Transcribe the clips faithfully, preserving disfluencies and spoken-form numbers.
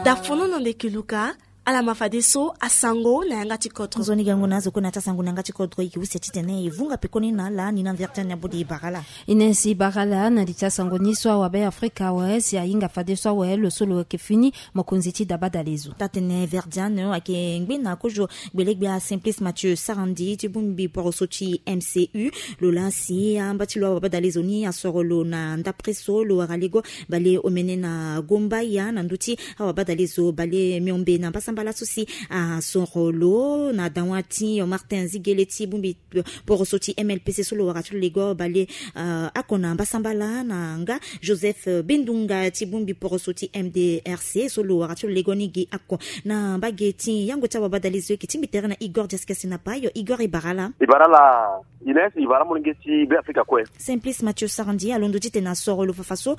Dafono na ndeke luka. Ala ma fadeso asango na yanga ti kodro. Nzoni gango na azo kue na ti asango na yanga ti kodro, e ke use titene e vunga pekoni na ala ni na vertiane abodi e bara ala. Inesi bara ala na li ti asango ni so awabe afrika awe si ahinga fadeso awe lo so lo yeke fini mokonzi ti dabadalezo. Tatene vertiane ayeke ngbe na kozo gbelegbia simplice mathieu sarandi ti bongbi poroso ti mcu. Lo laa si amba ti lo awabadalezo ni asoro lo na ndapre so lo wara lego bale omene na gombaya na ndö ti awabadalezo bale miombe na mbasambala so si asoro lo na dawa ti martin zigele ti bongbi poroso ti mlpc so lo wara ti lo lego bale ako na mbasambala na nga joseph bendunga ti bongbi poroso ti mdrc so lo wara ti lo lego ni gi ako na mbage ti yango ti awabadalezo e ke tingbi tere na igor diaskese na payo igor e bara ala. E bara ala. Ines e bara molenge ti be afrika kue. Simplice mathieu sarandi alondo titene asoro lo fafa so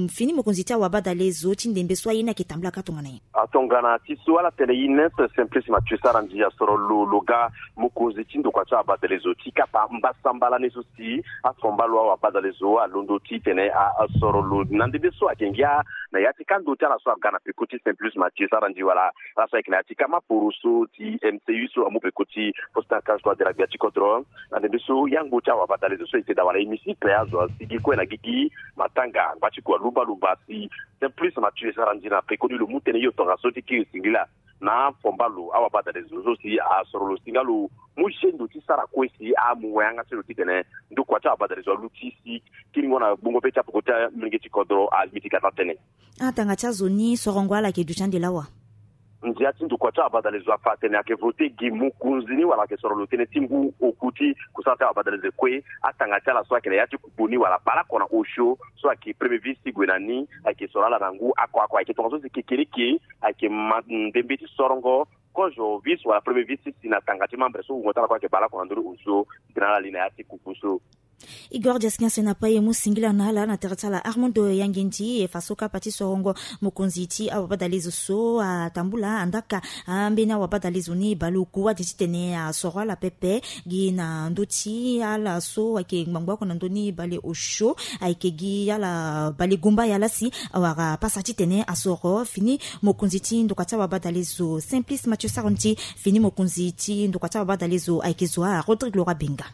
fini mokonzi ti awabadalezo ti ndembe so aye ni ayeke tambolaka tongana nyen? Atongana ti so ala tene ines simplice mathieu sarandi asoro lo lo ga mokonzi ti ndokua ti awabadalezo ti kapa mbasambala ni so si afomba lo awabadalezo alondo titene asoro lo na ndembe so ayeke ngia na ya ti kando ti ala so aga na peko ti simplice mathieu sarandi wala ala so ayeke na ya ti kama poroso ti mcu so amu peko ti posta kaso adera gbia ti kodro. Na ndembe so yango ti awabadalezo so ete dawala hémicycle azo asigi kue na gigi matanga ngba ti kua lumbalumba si simplice mathieu sarandi na pekoni lo mu tënë yo tongaso ti kiri singila na afomba lo awabadalezo so si asoro lo si nga lo mu gendo ti sara kue si amu wayanga ti lo titene ndokua ti awabadalezo aluti si kiringo na gbongo be ti apoko ti amolenge ti kodro alimiti kata tënë. Atanga ti azo ni sorongo ala yeke duti ande lawa? Ndia ti ndokua ti abadalezo afa atene ayeke vote gi mokonzi ni wala ayeke soro lo tënë ti ngu oku ti kusala ti abadalezo kue. Atanga ti ala so ayeke na ya ti kuku ni wala baleoko na osio so ayeke premier vice ti gue na ni ayeke soro ala na ngu ako ako ayeke tongaso si kekereke ayeke ma ndembe ti sorongo kozo vice wala premier vice ti si na tanga ti membre so wungo ti ala kue ayeke baleoko na ndö ni osio ti tene ala li na ya ti kuku so. Igor diaskiance na pai e mu singila na ala na tere ti ala armando yangendi e fa so kapa ti sorongo mokonzi ti awabadalezo so atambula andaka ambeni awabadalezo ni baleoku ade titene asoro ala pepe gi na ndö ti ala so ayeke ngbangbo oko na ndö ni baleosio ayeke gi ala balegomba ya lasi awara pasa titene asoro fini mokonzi ti ndokua ti awabadalezo simplice mathieu saron ti fini mokonzi ti ndokua ti awabadalezo ayeke zo a rodrigue lora benga.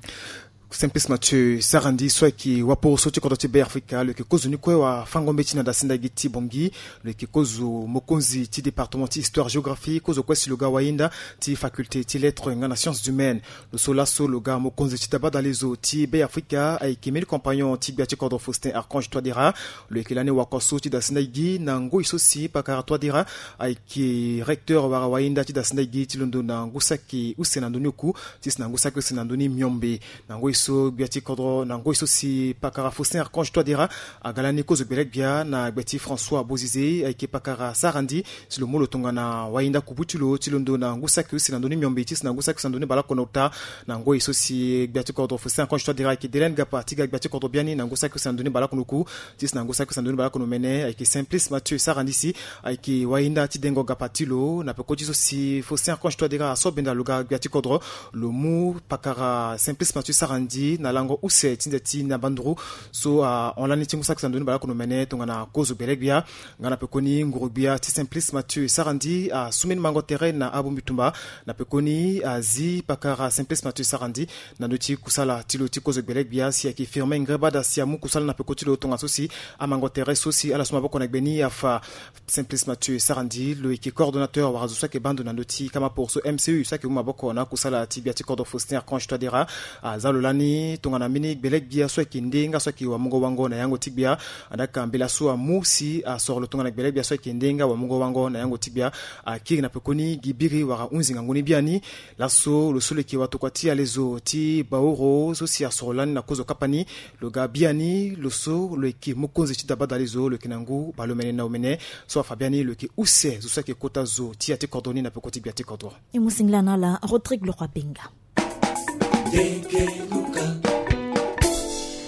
Simplice mathieu sarandi so ayeke waporo so ti kodro ti be afrika lo yeke kozo ni kue wafango mbeti na dasinda gi ti bongi. Lo yeke kozo mokonzi ti département ti histoire géographie kozo kue si lo ga wahinda ti faculté ti lettre nga na sciences humaines. Lo so laso lo ga mokonzi ti dabadalezo ti be afrika ayeke mili compagnon ti gbia ti kodro faustin archange toidera. Lo yeke lani wako so ti dasinda gi na ngoi so si pakara toidera ayeke recteur wara wahinda ti dasinda gi ti londo na ngu saki use na ndö ni oku ti si na ngu saki use na ndö ni miombe. Na ngoi so gbia ti kodro na ngoi so si pakara faustin archange toidera aga lani kozo gbele gbia na gbe ti françois bozize ayeke pakara sarandi si lo mu lo tongana wahinda kubu ti lo ti londo na ngu saki use na ndö ni miombe ti si na ngu saki use na ndö ni baleoko na ota. Na ngoi so si gbia ti kodro faustin archange toidera ayeke delen gapa ti ga gbia ti kodro biani na ngu saki use na ndö ni baleoko na oku ti si na ngu saki use na ndö ni baleoko na omene ayeke simplice mathieu sarandi si ayeke wahinda ti dengo gapa ti lo na peko ti so si faustin archange toidera aso benda lo ga gbia ti kodro. Lo mu pakara simplice mathieu sarandi na lango use ti nze ti na banduru so ahon lani ti ngu saki use na ndö ni baleoko na omene tongana kozo gbele gbia. Nga na pekoni nguru-gbia ti simplice mathieu sarandi asu mbeni mango tere na abongbi tumba na pekoni azi pakara simplice mathieu sarandi na ndö ti kusala ti lo ti kozo gbele gbia si ayeke firme ngreba daa si amu kusala na peko ti lo tongaso si amango tere so si ala su maboko na gbe ni afa. Simplice mathieu sarandi lo yeke coordonnateur wala zo so ayeke baa ndo na ndö ti kama poro so mcu so ayeke mu maboko na akusala ti gbia ti kodro faustin archange toidera. Aza lo lani tongana mbeni gbele gbia so ayeke nde nga so ayeke wamungo wango na yango ti gbia. Andaka mbela so amu si asoro lo tongana gbele gbia so ayeke nde nga wamungo wango na yango ti gbia. Akiri na pekoni gi biri wala hunzi ngangu ni biani. Laso lo so lo yeke watokua ti alezo ti baoro so si asoro lani na kozo kapa ni. Lo ga biani lo so lo yeke mokonzi ti dabadalezo lo yeke na ngu baleomene na omene. So afa biani lo yeke use zo so ayeke kota zo ti ya ti kodro ni na peko ti gbia ti kodro. E mu singila na ala rodrigue leroi benga.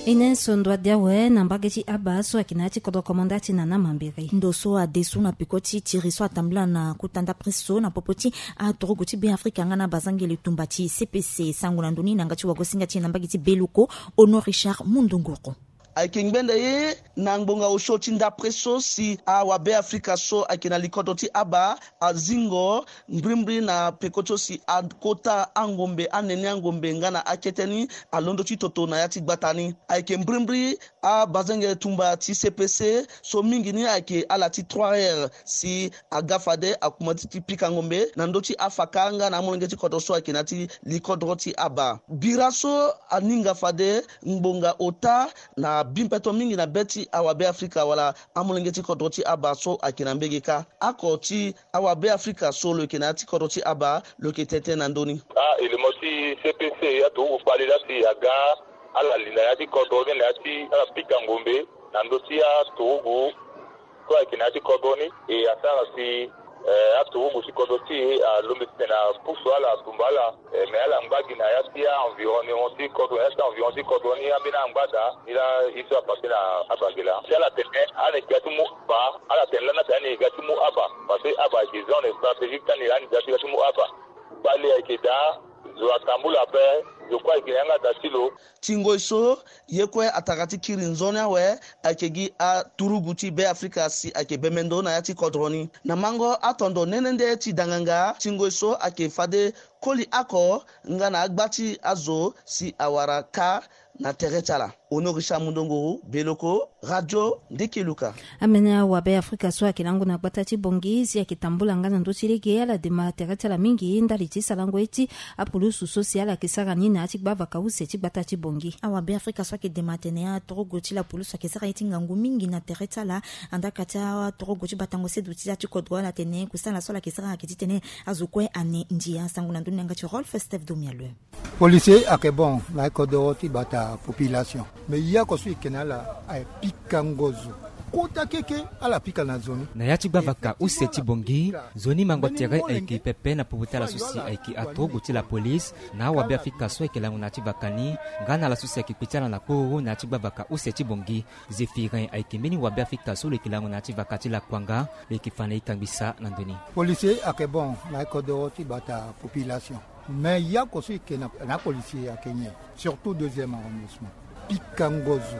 E ne so ndo ade awe na mbage ti aba so ayeke na ya ti kodro komanda ti nana mambere. Ndo so ade so na peko ti tiri so atambula na kota ndapre so na popo ti atorogo ti be afrika nga na bazangele tumba ti cpc sango na ndo ni na nga ti wagosinga ti e na mbage ti beloko. Ono richard mundunguru. Ayeke ngbende ye na ngbonga osio ti ndapre so si awabe afrika so ayeke na likodro ti aba azingo mbrimbri na peko ti so si akota angombe, anene angombe nga na akete ni alondo ti toto na ya ti gbata ni. Ayeke mbrimbri abazenge tumba ti C P C so mingi ni ayeke ala ti trois R si aga fade akuma ti pika ngombe na ndö ti afaka nga na amolenge ti kodro so ayeke na ya ti likodro ti aba. Bira so aninga fade ngbonga ota na bi mpeto mingi na be ti awabe afrika wala amolenge ti kodro ti aba so ayeke na mbege kâ. Ako ti awabe afrika so lo yeke na ya ti kodro ti aba lo yeke tene tënë na ndö ni. Ah, élément ti C P C aturugu kpali laa si aga ala li na ya ti kodro ni na ya ti ala pika ngombe na ndö ti aturugu so ayeke na ya ti kodro ni. E asara si, eh, aturugu ti kodro ti e alombe titene apusu ala, atumba ala. Eh, me ala ngba gi na ya ti a-environnement ti kodro, na ya ti environ ti kodro ni ambeni angba daa ni laa ye so apasse na abagela si ala tene ala yeke ga ti mu aba. Ala tene lani atene ala yeke ga ti mu aba parce que aba ayeke zone stratégique ti ani lani, ga ti ga ti mu aba. Kpali ayeke daa, zo atambula ape. Zo kue ayeke na yanga daa ti lo. Ti ngoi so ye kue atara ti kiri nzoni awe ayeke gi aturugu ti Be Afrika si ayeke bembe ndo na ya ti kodro ni. Na mango atondo nene nde ti danganga ti ngoi so ayeke fade koli oko nga na agba ti azo si awara kâ na tere ti ala. Honoré Charles Mundongo, Beloko, Radio Ndiki Luka. Ambeni awabe Afrika so ayeke lango na gbata ti Bangui si ayeke tambula nga na ndö ti lege ala dema tere ti ala mingi ndali ti sarango ye ti apulusu so si ala yeke sara ni na ya ti gbavaka use ti gbata ti Bangui. Awabe Afrika so ayeke dema atene atorogo ti lapulusu ayeke sara ye ti ngangu mingi na tere ti ala. Andaka ti atorogo ti batango sedo ti ya ti kodro ala tene kusala so ala yeke sara ayeke titene azo kue ane ndia. Sango na ndö ni na yanga ti Rolf Steph Domialue. Policier ayeke bon na kodoro ti bata population. Mais ye oko so e yeke na ala aye pikango zo. Kota keke ala pika na zo ni. Na ya ti gbavaka use ti Bangui, nzoni mango tere ayeke pepe na popo ti ala so si ayeke atorogo ti lapolice na awabe Afrika so ayeke lango na ya ti vaka ni nga na ala so si ayeke kpe ti ala na kpororo na ya ti gbavaka use ti Bangui. Zéphirin ayeke mbeni wabe Afrika so lo yeke lango na ya ti vaka ti Lakuanga, lo yeke fa na e kangbi sa na ndö ni. Policier ayeke bon na kodoro ti bata population. Mais ye oko so e yeke na, na apolicier ayeke nyen, surtout deuxième arrondissement. Pikango zo.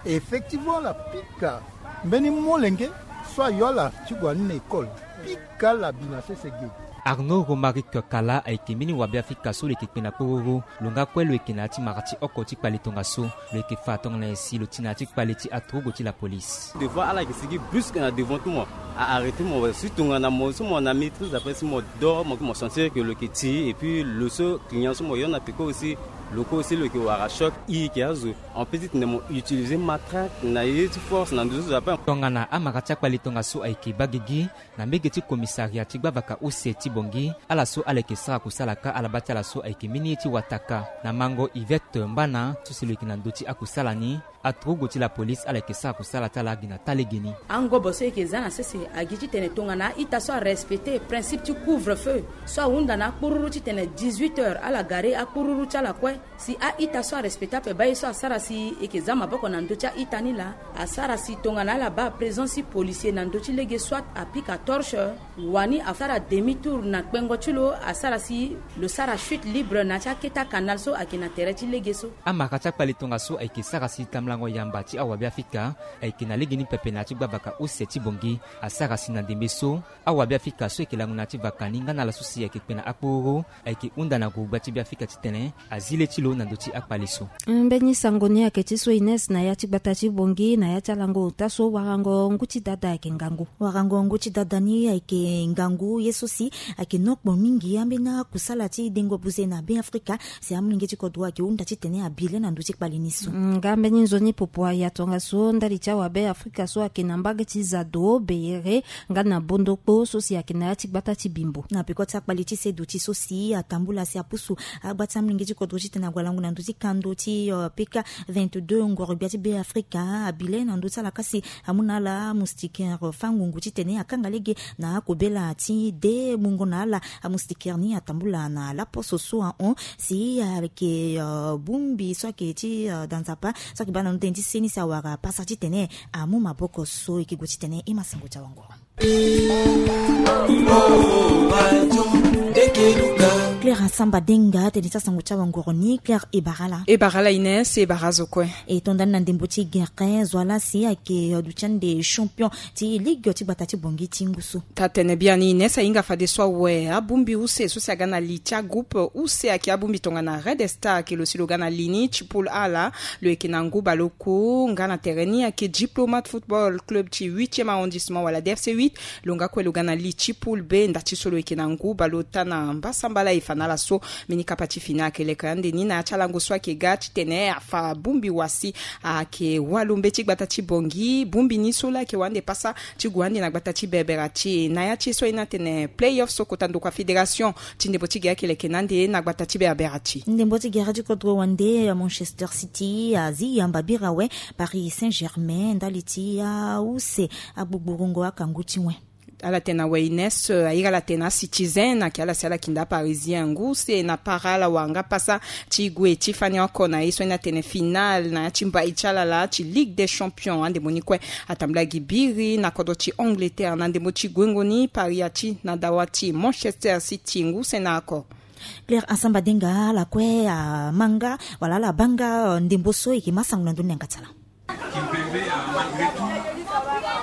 Effectivement ala pika mbeni molenge so ayo ala ti gue ni na école. Pika ala bi na sese ge. Arnaud Romaric Kala ayeke mbeni wabe Afrika so lo yeke kpe na kpororo. Lo nga kue lo yeke na ya ti mara ti oko ti kpale tongaso. Lo yeke fa tongana nyen si lo ti na ya ti kpale ti aturugu ti lapolice. Devant ala yeke sigi brusque na devant ti mo, a arrêté mo si tongana mo so mo na maîtrise après si mo dor mo, mo sentir que lo yeke ti et puis lo so client so mo yo na peko aussi, lo kue aussi lo yeke wara choc. E yeke azo en petit tene mo utiliser matraque na ye ti force na ndö so zo ape. Tongana amara ti akpale tongaso ayeke baa gigi na mbege ti commissariat ti gbavaka use ti Bangui. Ala so ala yeke sara kusala kâ ala baa ti ala so ayeke mbeni ye ti wataka. Na mango Yvette Mbana so si lo yeke na ndö ti akusala ni, aturugu ti lapolice ala yeke sara kusala ti ala gi na taa legeni. Angobo so e yeke za na sese agi titene tongana a-ita so arespecter principe ti couvre-feu so ahunda na akpururu titene dix-huit heures ala gare akpururu ti ala kue. Si a-ita so arespecter ape baa ye so asara si e yeke za maboko na ndö ti a-ita ni laa. Asara si tongana ala baa présence ti policier na ndö ti lege soit apika torche, wani asara demi tour na kpengo ti lo, asara si lo sara chute libre na ya ti akete akanal so ayeke na tere ti lege so. Amara ti akpale tongaso ayeke sara si tambulango yamba ti awabe Afrika ayeke na legeni pepe na ya ti gbavaka use ti Bangui. Asara si na ndembe so awabe Afrika so ayeke lango na ya ti vaka ni nga na ala so si ayeke kpe na akpororo ayeke hunda na gurugba ti Be Afrika titene azi le ti lo na ndö ti akpale so. Mbeni sango ni ayeke ti so Ines na ya ti gbata ti Bangui na ya ti alango ota so warango ngu ti dada ayeke ngangu. Warango ngu ti dada ni ayeke ngangu ye so si ayeke nokpo mingi ambeni akusala ti dengo buze na Be Afrika. Si amolenge ti kodro ayeke hunda titene abi le na ndö ti kpale ni so. Mm, nga mbeni nzoni popo aya tongaso ndali ti awabe Afrika so ayeke na mbage ti Zado, Beyere nga na Bondokpo so si ayeke na ya ti gbata ti Bimbo. Na peko ti akpale ti sedo ti so si atambula si apusu agba ti amolenge ti kodro titene ague alango na ndö ti kando ti, euh, P K vingt-deux ngoro gbia ti Be Afrika abi le na ndö ti ala kasi amu na ala moustiquaire fango ngu titene akanga lege na akobela ti de mungo na ala. Amoustiquaire ni atambula na laposo so ahon si ayeke, euh, bongbi so ayeke ti, euh, da nzapa so ayeke baa na ndö ti seni si awara pasa titene amu maboko so e yeke gue titene e ma sango ti awanguru. Claire Asamba Denga, tene ti asango ti awangoro ni. Claire, e bara ala? E bara ala Ines, e bara azo kue. E to ndani na ndembo ti gere, zo ala si ayeke duti ande champion ti ligue ti gbata ti Bangui ti ngu so. Taa-tene biani Ines, ahinga fadeso awe abongbi use so si aga na li ti agroupe use ayeke abongbi tongana Red Star, ayeke lo si lo ga na li ni ti poule A laa. Lo yeke na ngu baleoku. Nga na tere ni ayeke Diplomate Football Club ti huitième arrondissement wala D F C huit. Lo nga kue lo ga na li ti poule B, nda ti so lo yeke na ngu baleota na mbasambala. E fa na ala so mbeni kapa ti fini ayeke leke ande ni na ya ti alango so ayeke ga titene afa bongbi wa si ayeke walombe ti gbata ti Bangui. Bongbi ni so laa ayeke wande pasa ti gue ande na gbata ti Berbera ti e na ya ti e so aye ni atene play-off so kota ndokua fédération ti ndembo ti gere ayeke leke na ande na gbata ti Berbera ti e. Ndembo ti gere ti kodro wande, Manchester City azi yamba biri awe Paris Saint-Germain ndali ti ause agbugburungo akangu ti wen. Ala tene awe Ines, eh, airi ala tene aCitizen, ayeke ala si ala kinda Parisien ngu use na para ala wara nga pasa ti gue ti fani oko na ye so ni atene finale na ya ti mbai ti ala laa ti Ligue des Champions. Andembo ni kue atambula gi biri na kodro ti Angleterre na ndembo ti guengo ni Paris ati na dawa ti Manchester City ngu use na oko. Claire Asamba Denga, ala kue ama nga wala ala baa nga, eh, ndembo so e yeke ma sango na ndoni na yanga ti ala. Kimpembe a malgré tout, voilà,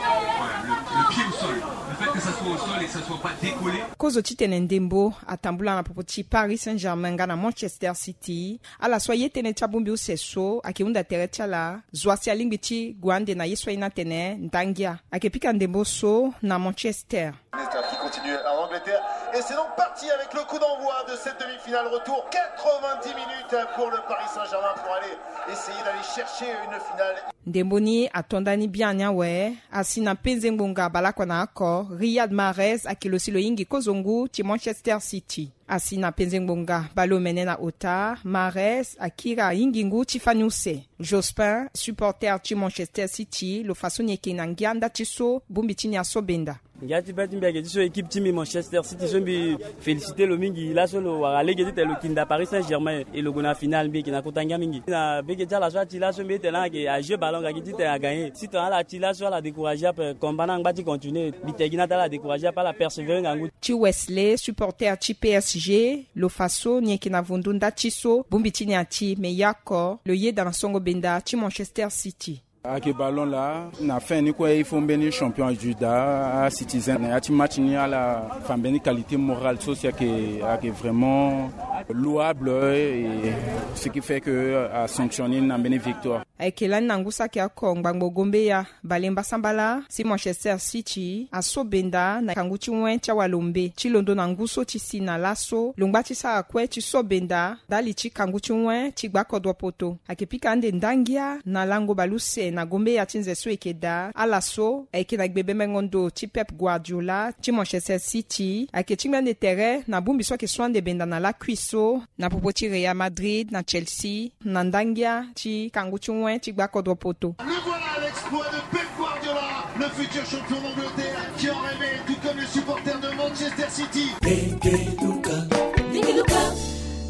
le, le pied au sol. Le fait que ça soit au sol et que ça soit pas décollé. Kozo titene ndembo atambula na popo ti Paris Saint-Germain nga na Manchester City. Ala so aye tënë ti abongbi use so ayeke hunda tere ti ala, zo asi alingbi ti gue ande na ye so aye ni atene ndangia. Ayeke pika ndembo so na Manchester. Qui continue en Angleterre. Et c'est donc parti avec le coup d'envoi de cette demi-finale retour. Quatre-vingt-dix minutes pour le Paris Saint-Germain pour aller essayer d'aller chercher une finale. Ndembo ni ato ndani biani awe, asi na penze ngbonga baleoko na oko, Riyad Mahrez ayeke lo si lo hingi kozo ngu ti Manchester City. Asi na penze ngbonga baleomene na ota, Mahrez akiri ahingi ngu ti fani use. Jospin, supporter ti Manchester City, lo fa so ni yeke na ngia nda ti so bongbi ti ni aso benda. Ngia ti be ti mbi ayeke ti so équipe ti mbi Manchester City so mbi félicité lo mingi. Laso lo wara lege titene lo kinda Paris Saint-Germain e lo gue na finale, mbi yeke na kota ngia mingi. Na bege ti ala so ati laso mbi tene ayeke ajeu ballon nga gi titene agagné. Si tongana ala ti laso ala découragé ape, combat ni angba ti continuer. Mbi tene gi ni ata ala découragé ape, ala persévérer ngangu. Ti Wesley, supporter ti P S G, lo fa so ni yeke na vundu nda ti so bongbi ti ni ati, me ya oko lo yeda na songo benda ti Manchester City. Ayeke ballon laa, na fin ni kue il faut mbeni champion ajuda aCitizen na ya ti match ni, ala fa mbeni qualité morale so si ayeke, ayeke vraiment louable, et ce qui fait que asanctionné na mbeni victoire. Ayeke lani na ngu saki oko ngbangbo gombeya bale mbasambala si Manchester City aso benda na kangu ti wen ti awalombe ti londo na ngu so ti si na laso, lo ngba ti sara kue ti so benda ndali ti kangu ti wen ti gbakodro poto. Ayeke pika ande ndangia na lango baleuse na gombeya ti nze so e yeke daa. Ala so ayeke na gbe bemengo ndo ti Pep Guardiola ti Manchester City, ayeke tingbi ande tere na bongbi so ayeke so ande benda na lakui so na popo ti Real Madrid na Chelsea, na ndangia ti kangu ti wen ti gbakodro poto. Le voilà, l'exploit de Pep Guardiola, le futur champion d'Angleterre, qui en rêvait, tout comme les supporters de Manchester City.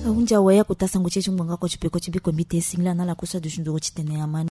Ahunzi awe, akota sango ti e ti ngbonga oko ti peko ti biko mbi te singila na ala kusa dusu nduru titene amani.